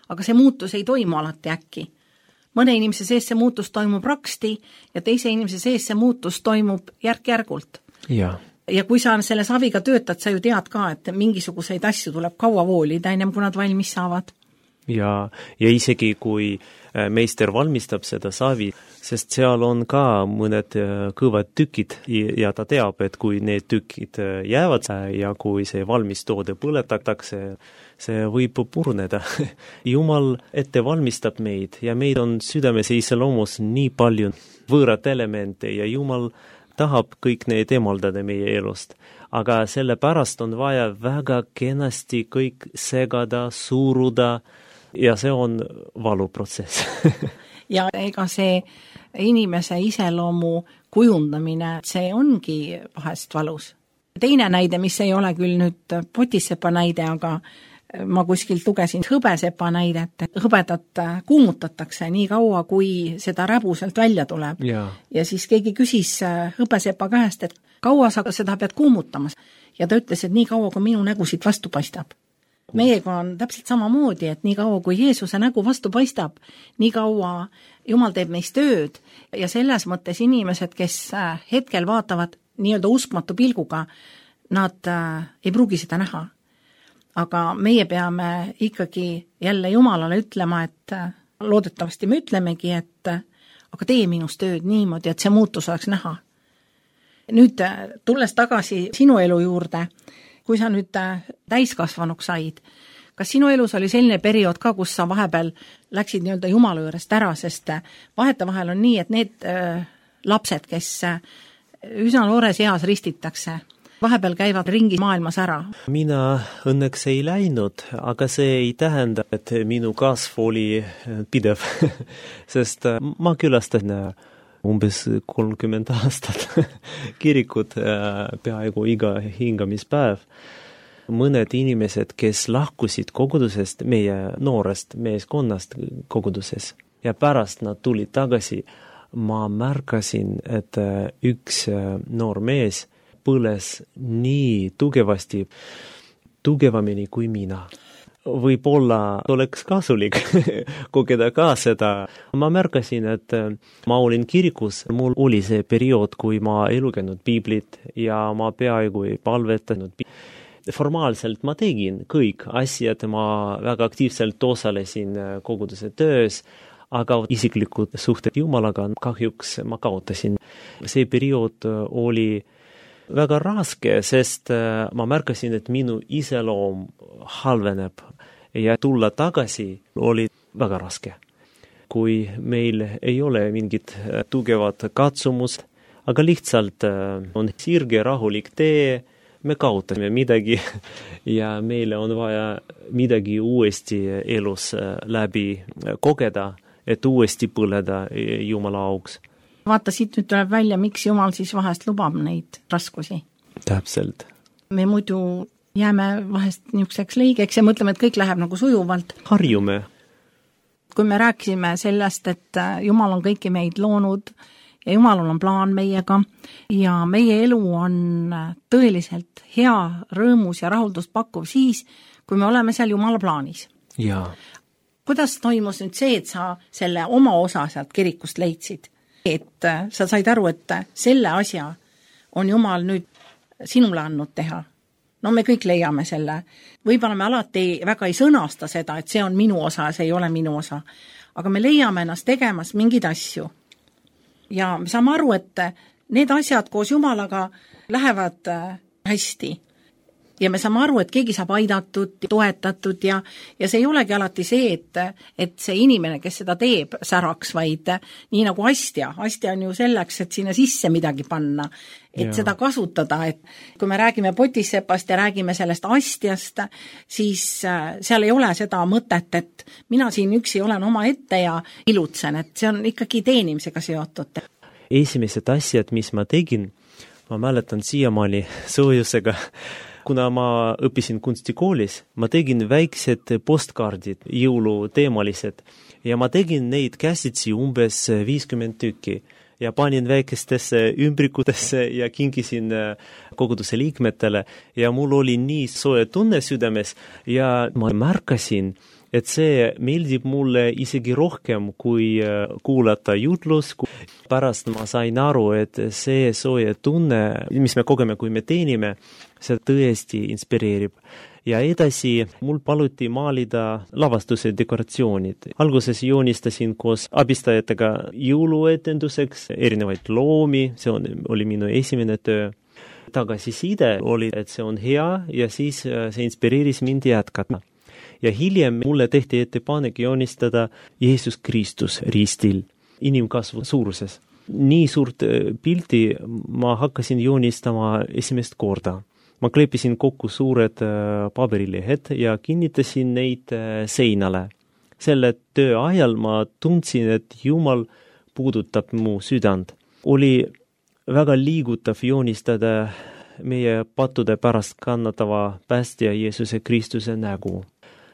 aga see muutus ei toimu alati äkki. Mõne inimese sees see muutus toimub raksti ja teise inimese sees see muutus toimub järk-järgult. Ja. ja kui sa selle saviga töötad, sa ju tead ka, et mingisuguseid asju tuleb kaua voolida, ennem kui nad valmis saavad. Ja, ja isegi kui meister valmistab seda savi, sest seal on ka mõned kõvad tükid ja ta teab, et kui need tükid jäävad ja kui see valmis toode põletatakse, see võib purneda. Jumal ette valmistab meid ja meid on südames ja iseloomus nii palju võõrat elemente ja Jumal tahab kõik need emaldada meie elust. Aga selle pärast on vaja väga kenasti kõik segada, suuruda ja see on valuprotsess. ja ega see inimese iseloomu kujundamine, see ongi vahest valus. Teine näide, mis ei ole küll nüüd potissepa näide, aga ma kuskilt lugesin hõbesepa näidet, et hõbedat kuumutatakse nii kaua, kui seda räbu sealt välja tuleb. Ja. ja siis keegi küsis hõbesepa käest, et kaua sa seda pead kuumutamas. Ja ta ütles, et nii kaua, kui minu nägu siit vastu paistab. Meiega on täpselt samamoodi, et nii kaua, kui Jeesuse nägu vastu paistab, nii kaua Jumal teeb neist tööd ja selles mõttes inimesed, kes hetkel vaatavad nii-öelda uskmatu pilguga, nad ei pruugi seda näha. Aga meie peame ikkagi jälle Jumalale ütlema, et loodetavasti me ütlemegi, et aga tee minust tööd niimoodi, et see muutus oleks näha. Nüüd tulles tagasi sinu elu juurde, kui sa nüüd täiskasvanuks said, kas sinu elus oli selline periood ka, kus sa vahepeal läksid nii-öelda Jumala juurest ära, sest vaheta vahel on nii, et need äh, lapsed, kes üsna noores eas ristitakse, vahepeal käivad ringi maailmas ära. Mina õnneks ei läinud, aga see ei tähenda, et minu kasv oli pidev, sest ma külastan umbes kolmkümmend aastat kirikut peaaegu iga hingamispäev. Mõned inimesed, kes lahkusid kogudusest, meie noorest meeskonnast koguduses ja pärast nad tulid tagasi, ma märkasin, et üks noor mees põles nii tugevasti, tugevamini kui mina. Võib-olla oleks kasulik kogeda ka seda. Ma märkasin, et ma olin kirikus, mul oli see periood, kui ma ei lugenud piiblit ja ma peaaegu ei palvetanud. Formaalselt ma tegin kõik asjad, ma väga aktiivselt osalesin koguduse töös, aga isiklikud suhted Jumalaga kahjuks ma kaotasin. See periood oli väga raske, sest ma märkasin, et minu iseloom halveneb ja tulla tagasi oli väga raske. Kui meil ei ole mingit tugevat katsumust, aga lihtsalt on sirge rahulik tee, me kaotame midagi ja meile on vaja midagi uuesti elus läbi kogeda, et uuesti põleda Jumala auks. Vaata, siit nüüd tuleb välja, miks Jumal siis vahest lubab neid raskusi. Täpselt. Me muidu jääme vahest niisuguseks leigeks ja mõtleme, et kõik läheb nagu sujuvalt. Harjume. Kui me rääkisime sellest, et Jumal on kõiki meid loonud ja Jumalal on plaan meiega ja meie elu on tõeliselt hea, rõõmus ja rahuldust pakkuv siis, kui me oleme seal Jumala plaanis. Jaa. Kuidas toimus nüüd see, et sa selle oma osa sealt kirikust leidsid? Et sa said aru, et selle asja on Jumal nüüd sinule andnud teha. No me kõik leiame selle. Võib-olla me alati väga ei sõnasta seda, et see on minu osa, see ei ole minu osa. Aga me leiame ennast tegemas mingeid asju. Ja me saame aru, et need asjad koos Jumalaga lähevad hästi. Ja me saame aru, et keegi saab aidatud, toetatud ja, ja see ei olegi alati see, et, et see inimene, kes seda teeb, säraks, vaid nii nagu astja. Astja on ju selleks, et sinna sisse midagi panna, et ja. Seda kasutada. Et kui me räägime potissepast ja räägime sellest astjast, siis seal ei ole seda mõtet, et mina siin üksi olen oma ette ja ilutsen, et see on ikkagi teenimisega seotud. Esimesed asjad, mis ma tegin, ma mäletan siiamaani soojusega, kuna ma õppisin kunstikoolis, ma tegin väiksed postkaardid, jõuluteemalised, ja ma tegin neid käsitsi umbes viiskümmend tükki ja panin väikestesse ümbrikutesse ja kingisin koguduse liikmetele ja mul oli nii soe tunne südames ja ma märkasin, et see meeldib mulle isegi rohkem kui kuulata jutlus. Pärast ma sain aru, et see soe tunne, mis me kogeme, kui me teenime, see tõesti inspireerib. Ja edasi mul paluti maalida lavastuse dekoratsioonid. Alguses joonistasin koos abistajatega jõuluetenduseks erinevaid loomi, see on, oli minu esimene töö. Tagasiside oli, et see on hea ja siis see inspireeris mind jätkata. Ja hiljem mulle tehti ettepanek joonistada Jeesus Kristus ristil inimkasvu suuruses. Nii suurt pilti ma hakkasin joonistama esimest korda. Ma kleepisin kokku suured paberilehed ja kinnitasin neid seinale. Selle töö ajal ma tundsin, et Jumal puudutab mu südant. Oli väga liigutav joonistada meie pattude pärast kannatava päästja Jeesuse Kristuse nägu.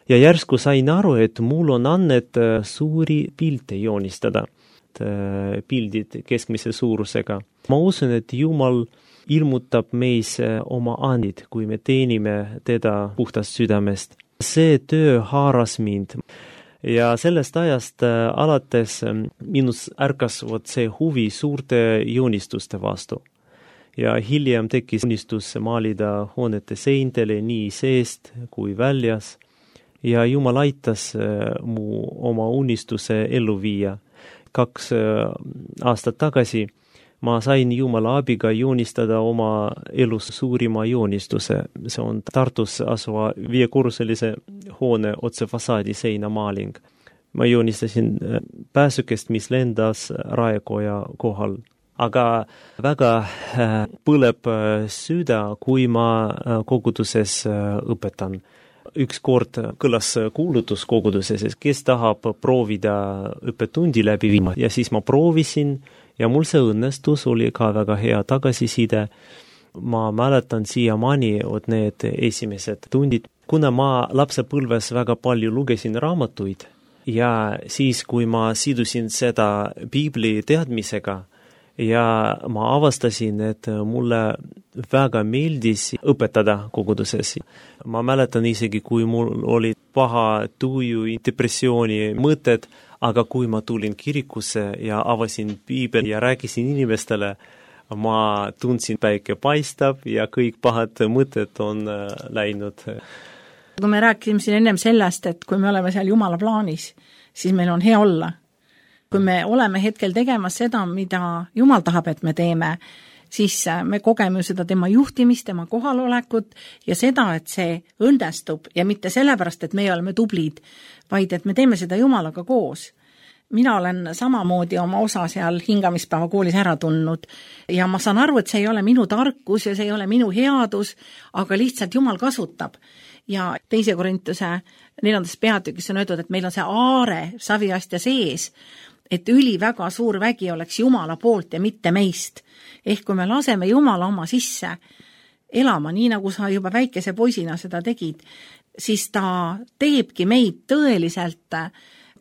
Ja järsku sain aru, et mul on annet suuri pilte joonistada, pildid keskmise suurusega. Ma usun, et Jumal ilmutab meis oma andid, kui me teenime teda puhtast südamest. See töö haaras mind ja sellest ajast alates minus ärkas vot see huvi suurte joonistuste vastu. Ja hiljem tekkis unistus maalida hoonete seintele nii seest kui väljas. Ja Jumal aitas mu oma unistuse ellu viia. Kaks aastat tagasi ma sain Jumala abiga joonistada oma elus suurima joonistuse. See on Tartus asuva viiekorruselise hoone otse fassaadi seinamaaling. Ma joonistasin pääsukest, mis lendas Raekoja kohal. Aga väga põleb süda, kui ma koguduses õpetan. Üks kord kõlas kuulutus koguduses, kes tahab proovida õppetundi läbi viima. Ja siis ma proovisin ja mul see õnnestus, oli ka väga hea tagasiside. Ma mäletan siiamaani od need esimesed tundid, kuna ma lapsepõlves väga palju lugesin raamatuid ja siis, kui ma sidusin seda Piibli teadmisega, ja ma avastasin, et mulle väga meeldis õpetada koguduses. Ma mäletan isegi, kui mul oli paha tuju, depressiooni mõtted, aga kui ma tulin kirikusse ja avasin Piibel ja rääkisin inimestele, ma tundsin päike paistab ja kõik pahad mõtted on läinud. Kui me rääkisime siin ennem sellest, et kui me oleme seal Jumala plaanis, siis meil on hea olla. Kui me oleme hetkel tegemas seda, mida Jumal tahab, et me teeme, siis me kogeme seda tema juhtimist, tema kohalolekut ja seda, et see õnnestub ja mitte sellepärast, et me oleme tublid, vaid et me teeme seda Jumalaga koos. Mina olen samamoodi oma osa seal hingamispäeva koolis ära tundnud ja ma saan aru, et see ei ole minu tarkus ja see ei ole minu headus, aga lihtsalt Jumal kasutab. Ja teise Korintuse neljandas peatükis on öeldud, et meil on see aare saviastja sees, et üli väga suur vägi oleks Jumala poolt ja mitte meist. Ehk kui me laseme Jumala oma sisse, elama, nii nagu sa juba väikese poisina seda tegid, siis ta teebki meid tõeliselt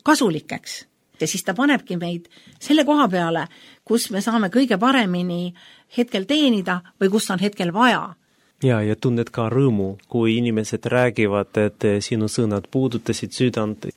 kasulikeks ja siis ta panebki meid selle koha peale, kus me saame kõige paremini hetkel teenida või kus on hetkel vaja. Ja, ja tunned ka rõõmu, kui inimesed räägivad, et sinu sõnad puudutasid südant.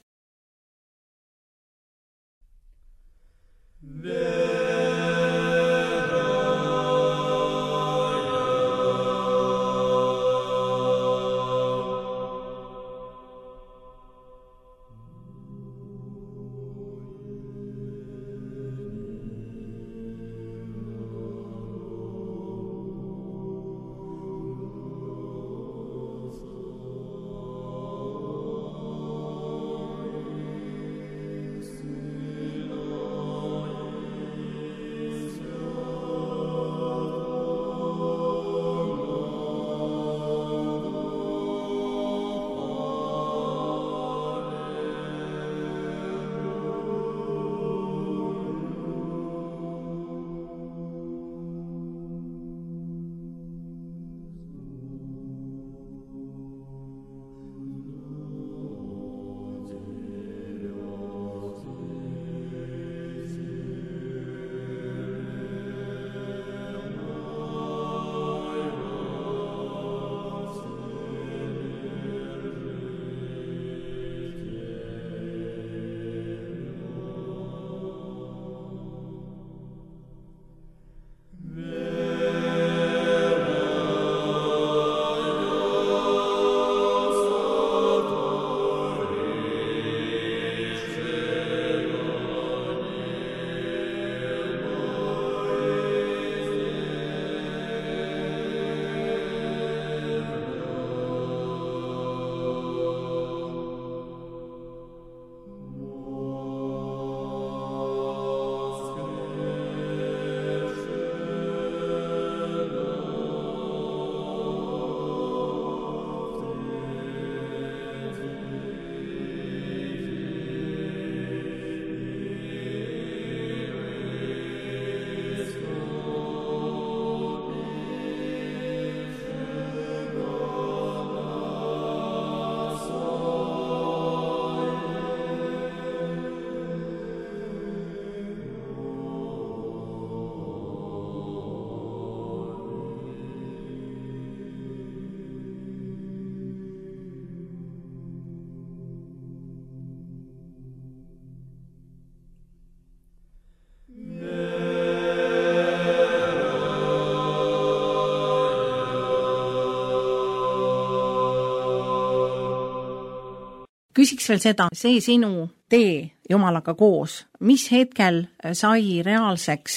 Küsiks veel seda, see sinu tee Jumalaga koos, mis hetkel sai reaalseks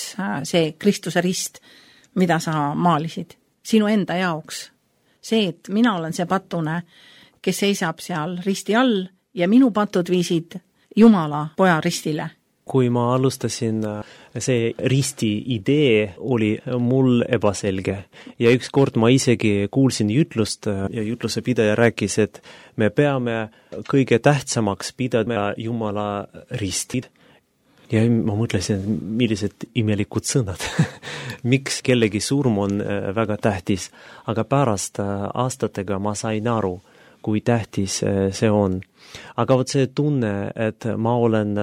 see Kristuse rist, mida sa maalisid sinu enda jaoks? See, et mina olen see patune, kes seisab seal risti all ja minu patud viisid Jumala poja ristile. Kui ma alustasin, see risti idee oli mul ebaselge ja üks kord ma isegi kuulsin jutlust ja jutluse pidaja rääkis, et me peame kõige tähtsamaks pidada Jumala ristid. Ja ma mõtlesin, millised imelikud sõnad. Miks kellegi surm on väga tähtis, aga pärast aastatega ma sain aru, kui tähtis see on. Aga võt see tunne, et ma olen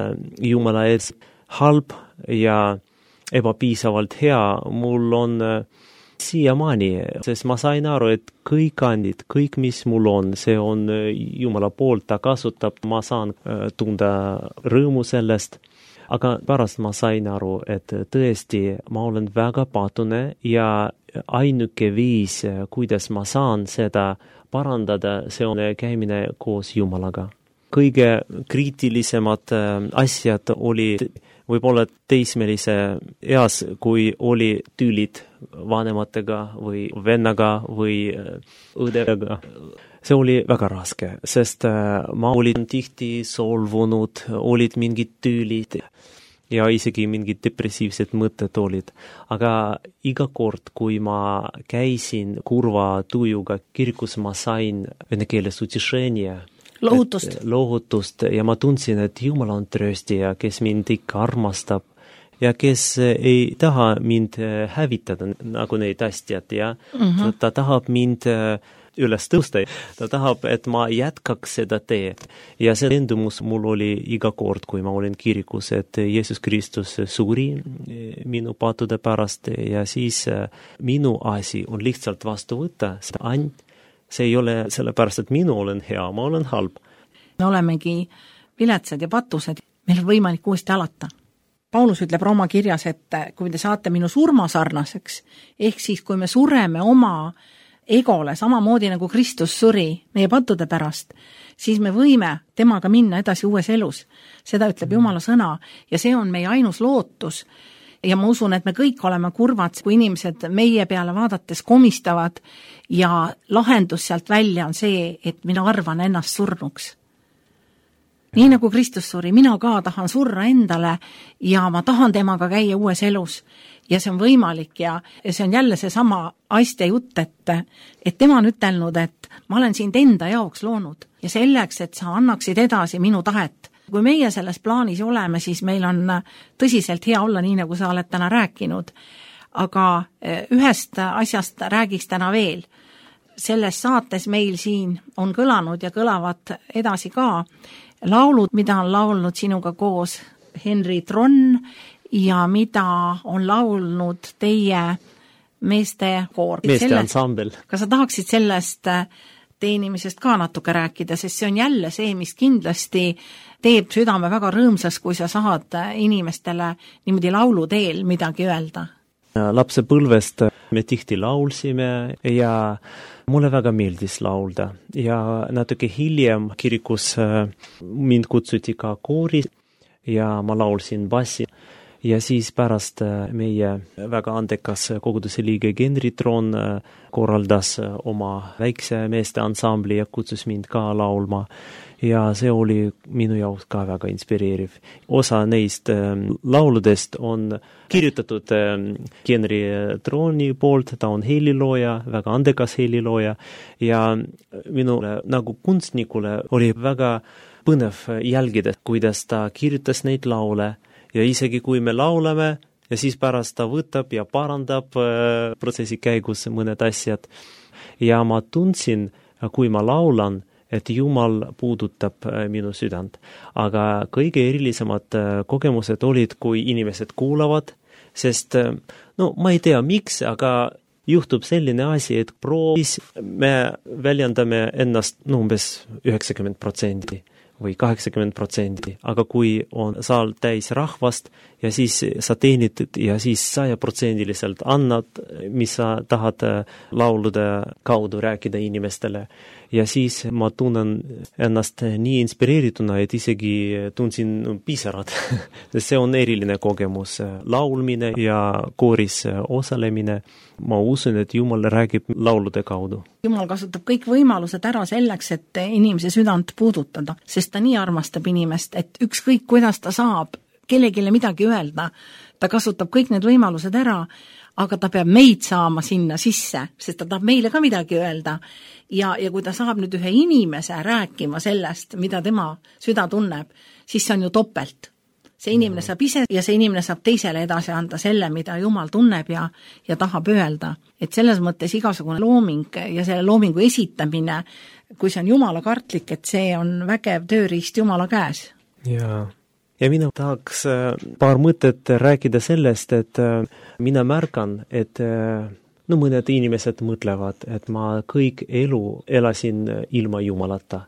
Jumala ees halb ja ebapiisavalt hea, mul on siiamaani, sest ma sain aru, et kõik andid, kõik mis mul on, see on Jumala poolt, ta kasutab, ma saan tunda rõõmu sellest. Aga pärast ma sain aru, et tõesti ma olen väga patune ja ainuke viis, kuidas ma saan seda parandada, see on käimine koos Jumalaga. Kõige kriitilisemad asjad oli võib-olla teismelise eas, kui oli tülid vanematega või vennaga või õdega. See oli väga raske, sest ma olin tihti solvunud, olid mingid tülid ja isegi mingid depressiivsed mõtted olid. Aga iga kord, kui ma käisin kurva tujuga kirikus, ma sain vene keeles utešenia, lohutust. lohutust ja ma tundsin, et Jumal on trööstija, kes mind ikka armastab ja kes ei taha mind hävitada nagu neid asjad ja mm-hmm. ta tahab mind üles tõusta. Ta tahab, et ma jätkaks seda tee. Ja see endumus mul oli iga kord, kui ma olin kirikus, et Jeesus Kristus suri minu pattude pärast ja siis minu asi on lihtsalt vastu võtta. Ainult see ei ole sellepärast, et minu olen hea, ma olen halb. Me olemegi viletsad ja patused, meil on võimalik uuesti alata. Paulus ütleb Rooma kirjas, et kui te saate minu surma sarnaseks, ehk siis kui me sureme oma egole, samamoodi nagu Kristus suri meie pattude pärast, siis me võime temaga minna edasi uues elus. Seda ütleb Jumala sõna ja see on meie ainus lootus. Ja ma usun, et me kõik oleme kurvad, kui inimesed meie peale vaadates komistavad ja lahendus sealt välja on see, et mina arvan ennast surnuks. Nii nagu Kristus suri, mina ka tahan surra endale ja ma tahan temaga käia uues elus. Ja see on võimalik ja, ja see on jälle see sama aiste jutt, et, et tema on ütelnud, et ma olen sind enda jaoks loonud ja selleks, et sa annaksid edasi minu tahet. Kui meie selles plaanis oleme, siis meil on tõsiselt hea olla, nii nagu sa oled täna rääkinud. Aga ühest asjast räägiks täna veel. Selles saates meil siin on kõlanud ja kõlavad edasi ka laulud, mida on laulnud sinuga koos Henri Tronn ja mida on laulnud teie meeste koor. Meeste ansambel. Kas sa tahaksid sellest teenimisest ka natuke rääkida, sest see on jälle see, mis kindlasti teeb südame väga rõõmsas, kui sa saad inimestele niimoodi laulu teel midagi öelda. Lapsepõlvest me tihti laulsime ja mulle väga meeldis laulda ja natuke hiljem kirikus mind kutsuti ka koori ja ma laulsin bassi. Ja siis pärast meie väga andekas koguduse liige Henri Tronn korraldas oma väikse meeste ansambli ja kutsus mind ka laulma. Ja see oli minu jaoks ka väga inspireeriv. Osa neist lauludest on kirjutatud Henri Tronni poolt, ta on helilooja, väga andekas helilooja ja minule nagu kunstnikule oli väga põnev jälgida, kuidas ta kirjutas neid laule. Ja isegi kui me laulame ja siis pärast ta võtab ja parandab äh, protsessi käigus mõned asjad. Ja ma tundsin, kui ma laulan, et Jumal puudutab äh, minu südant. Aga kõige erilisemad äh, kogemused olid, kui inimesed kuulavad, sest äh, no ma ei tea miks, aga juhtub selline asi, et proovis me väljendame ennast no, umbes üheksakümmend protsenti. Või kaheksakümmend protsenti, aga kui on saal täis rahvast ja siis sa teenid ja siis sajaprotsendiliselt annad, mis sa tahad laulude kaudu rääkida inimestele. Ja siis ma tunnen ennast nii inspireerituna, et isegi tundsin pisarad. See on eriline kogemus. Laulmine ja kooris osalemine. Ma usun, et Jumal räägib laulude kaudu. Jumal kasutab kõik võimalused ära selleks, et inimese südant puudutada, sest ta nii armastab inimest, et ükskõik kuidas ta saab kellegile midagi öelda, ta kasutab kõik need võimalused ära, aga ta peab meid saama sinna sisse, sest ta tahab meile ka midagi öelda. Ja, ja kui ta saab nüüd ühe inimese rääkima sellest, mida tema süda tunneb, siis see on ju topelt. See inimene saab ise ja see inimene saab teisele edasi anda selle, mida Jumal tunneb ja, ja tahab öelda. Et selles mõttes igasugune looming ja selle loomingu esitamine, kui see on Jumala kartlik, et see on vägev tööriist Jumala käes. Jaa. Ja mina tahaks paar mõtet rääkida sellest, et mina märkan, et no mõned inimesed mõtlevad, et ma kõik elu elasin ilma Jumalata.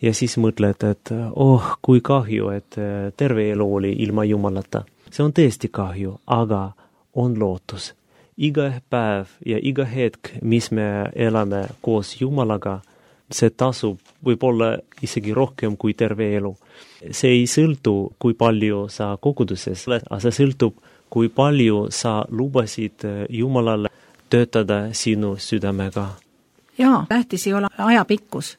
Ja siis mõtled, et oh, kui kahju, et terve elu oli ilma Jumalata. See on tõesti kahju, aga on lootus. Iga päev ja iga hetk, mis me elame koos Jumalaga, see tasub võib-olla isegi rohkem kui terve elu. See ei sõltu, kui palju sa koguduses oled, aga see sõltub, kui palju sa lubasid Jumalale töötada sinu südamega. Jaa, tähtis ei ole ajapikkus,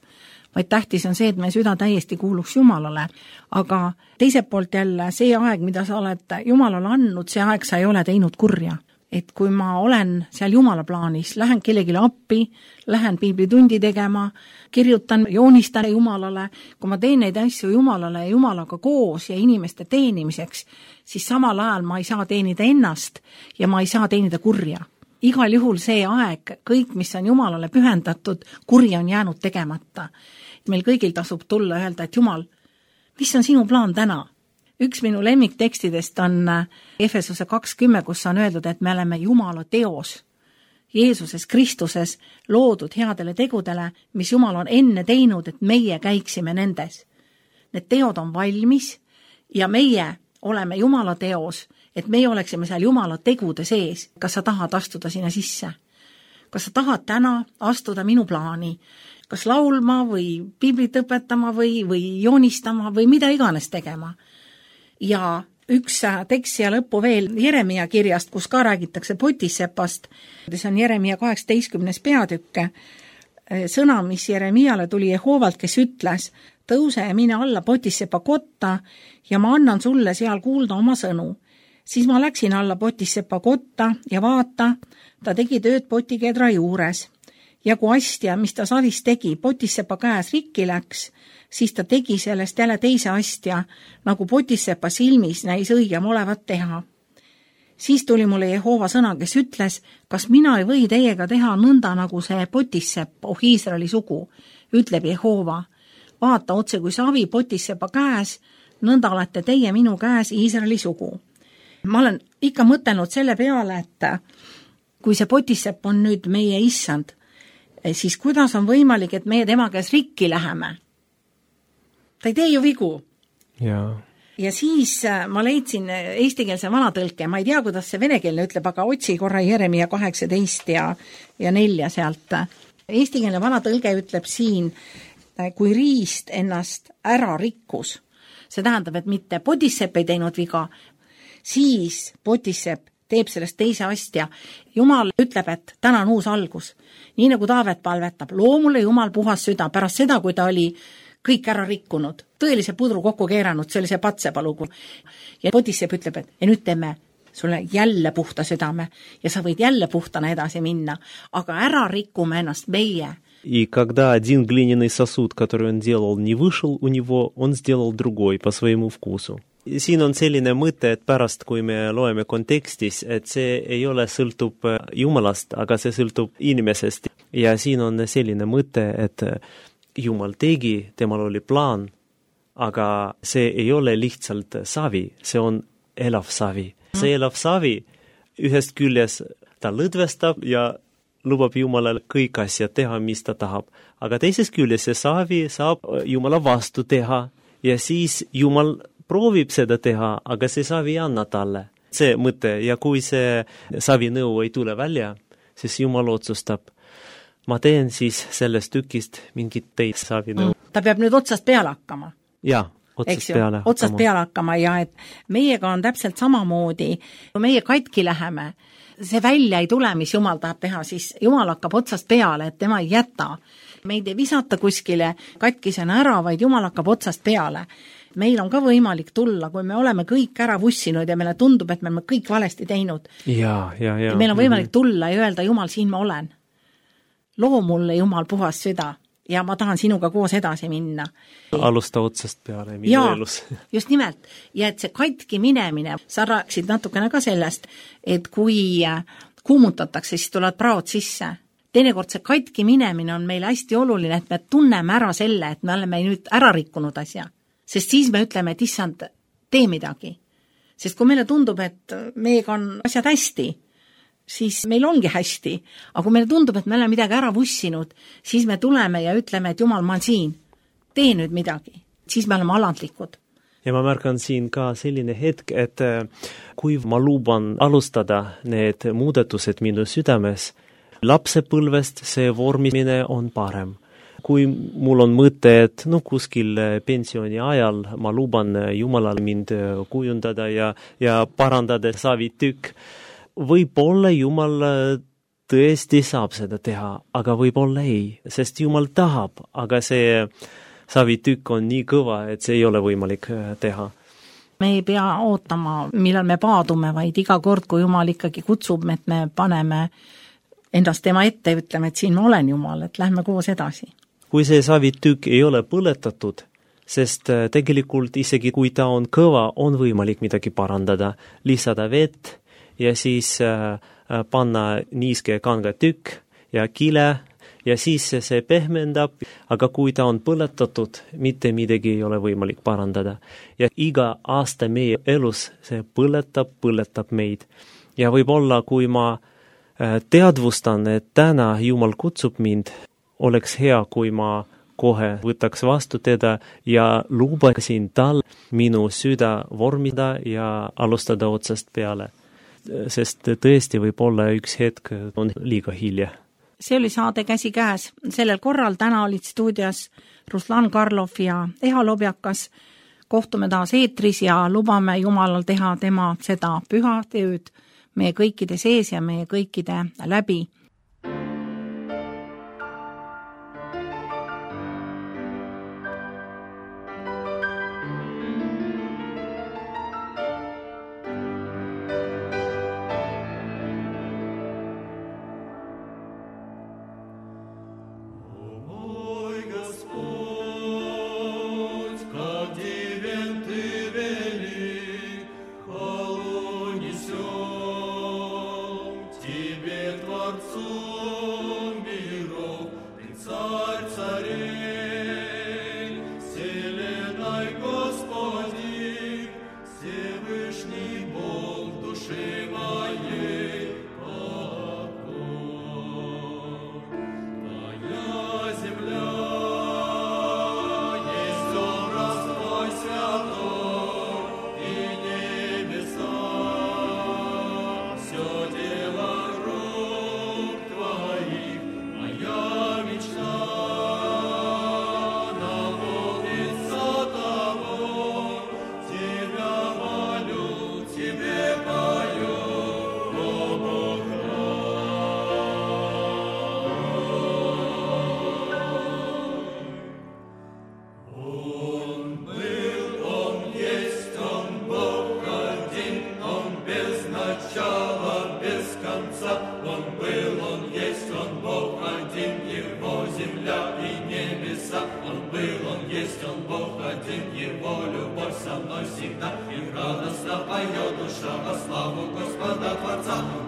vaid tähtis on see, et meie süda täiesti kuuluks Jumalale. Aga teiselt poolt jälle see aeg, mida sa oled Jumalale andnud, see aeg sa ei ole teinud kurja. et kui ma olen seal Jumala plaanis, lähen kellegile appi, lähen piiblitundi tegema, kirjutan, joonistan Jumalale, kui ma teen neid asju Jumalale ja Jumalaga koos ja inimeste teenimiseks, siis samal ajal ma ei saa teenida ennast ja ma ei saa teenida kurja. Igal juhul see aeg, kõik, mis on Jumalale pühendatud, kuri on jäänud tegemata. Meil kõigil tasub tulla öelda, et Jumal, mis on sinu plaan täna? Üks minu lemmiktekstidest on Efesuse kakskümmend, kus on öeldud, et me oleme Jumala teos, Jeesuses Kristuses loodud headele tegudele, mis Jumal on enne teinud, et meie käiksime nendes. Need teod on valmis ja meie oleme Jumala teos, et meie oleksime seal Jumala tegude sees. Kas sa tahad astuda sinna sisse? Kas sa tahad täna astuda minu plaani? Kas laulma või piiblit õpetama või, või joonistama või mida iganes tegema? Ja üks tekst siia lõppu veel Jeremia kirjast, kus ka räägitakse Potissepast. See on Jeremia kaheksateistkümnes peatükk. Sõna, mis Jeremiale tuli Jehovalt, kes ütles, tõuse ja mine alla Potissepa kotta ja ma annan sulle seal kuulda oma sõnu. Siis ma läksin alla Potissepa kotta ja vaata, ta tegi tööd potikedra juures. Ja kui astja, mis ta savis tegi, Potissepa käes rikki läks, siis ta tegi sellest jälle teise astja, nagu Potissepa silmis näis õigem olevat teha. Siis tuli mulle Jehova sõna, kes ütles, kas mina ei või teiega teha nõnda, nagu see Potissepp, oh Iisraeli sugu, ütleb Jehova. Vaata otse kui savi Potissepa käes, nõnda olete teie minu käes Iisraeli sugu. Ma olen ikka mõtelnud selle peale, et kui see Potissepp on nüüd meie issand, siis kuidas on võimalik, et meie tema käes rikki läheme? Ta ei tee ju vigu. Ja. ja siis ma leidsin eestikeelse vanatõlke, ma ei tea, kuidas see venekeelne ütleb, aga otsi korra Jeremia kaheksateist ja, ja nelja sealt. Eestikeelne vanatõlge ütleb siin, kui riist ennast ära rikkus, see tähendab, et mitte Potissepp ei teinud viga, siis Potissepp teeb sellest teise astja. Jumal ütleb, et täna on uus algus. Nii nagu Taavet palvetab, loo mulle Jumal puhas süda pärast seda, kui ta oli kõik ära rikkunud, tõelise pudru kokku keeranud, see oli see Patsepalugu. Ja Potissepp ütleb, et ja nüüd teeme sulle jälle puhta südame ja sa võid jälle puhtana edasi minna, aga ära rikkume ennast meie. И когда один глиняный сосуд, который он делал, не вышел у него, он сделал другой по своему вкусу. Siin on selline mõte, et pärast, kui me loeme kontekstis, et see ei ole sõltub Jumalast, aga see sõltub inimesest. Ja siin on selline mõte, et Jumal tegi, temal oli plaan, aga see ei ole lihtsalt savi, see on elav savi. See elav savi ühest küljes ta lõdvestab ja lubab Jumalale kõik asjad teha, mis ta tahab. Aga teisest küljes see savi saab Jumala vastu teha ja siis Jumal proovib seda teha, aga see savi ei anna talle. See mõte, ja kui see savi nõu ei tule välja, siis Jumal otsustab, ma teen siis sellest tükist mingit teist savi nõu. Ta peab nüüd otsast peale hakkama. Jaa, otsast peale hakkama. Otsast peale hakkama ja et meiega on täpselt samamoodi, kui meie katki läheme, see välja ei tule, mis Jumal tahab teha, siis Jumal hakkab otsast peale, et tema ei jäta. Meid ei visata kuskile katkisena ära, vaid Jumal hakkab otsast peale. Meil on ka võimalik tulla, kui me oleme kõik ära vussinud ja meile tundub, et me oleme kõik valesti teinud. Ja, ja, ja. Meil on võimalik tulla ja öelda, Jumal, siin ma olen. Loo mulle, Jumal, puhas süda ja ma tahan sinuga koos edasi minna. Alusta otsast peale minu ja, elus. Just nimelt. Ja et see katki minemine, sa rääkisid natukene ka sellest, et kui kuumutatakse, siis tulevad praod sisse. Teinekord see katki minemine on meile hästi oluline, et me tunneme ära selle, et me oleme nüüd ära rikkunud asja. Sest siis me ütleme, et issand, tee midagi. Sest kui meile tundub, et meiega on asjad hästi, siis meil ongi hästi. Aga kui meile tundub, et me oleme midagi ära vussinud, siis me tuleme ja ütleme, et Jumal, ma olen siin. Tee nüüd midagi. Siis me oleme alandlikud. Ja ma märkan siin ka selline hetk, et kui ma luban alustada need muudatused minu südames, lapsepõlvest see vormimine on parem. Kui mul on mõte, et no kuskil pensioni ajal ma luban Jumalal mind kujundada ja, ja parandada savitükk, võib-olla Jumal tõesti saab seda teha, aga võib-olla ei, sest Jumal tahab, aga see savitükk on nii kõva, et see ei ole võimalik teha. me ei pea ootama, millal me paadume, vaid iga kord, kui Jumal ikkagi kutsub, et me paneme endast tema ette ja ütleme, et siin ma olen Jumal, et lähme koos edasi. Kui see savitükk ei ole põletatud, sest tegelikult isegi kui ta on kõva, on võimalik midagi parandada, lisada vett ja siis panna niiske kanga tükk ja kile ja siis see pehmendab, aga kui ta on põletatud, mitte midagi ei ole võimalik parandada. Ja iga aasta meie elus see põletab, põletab meid. Ja võib-olla, kui ma teadvustan, et täna Jumal kutsub mind, oleks hea, kui ma kohe võtaks vastu teda ja lubasin tal minu süda vormida ja alustada otsast peale. Sest tõesti võib olla üks hetk on liiga hilja. See oli saade Käsi käes. Sellel korral täna olid stuudios Ruslan Karlov ja Eha Lobjakas. Kohtume taas eetris ja lubame Jumalal teha tema seda püha tööd meie kõikide sees ja meie kõikide läbi. Всегда и радостно поет душа во славу Господа Творца.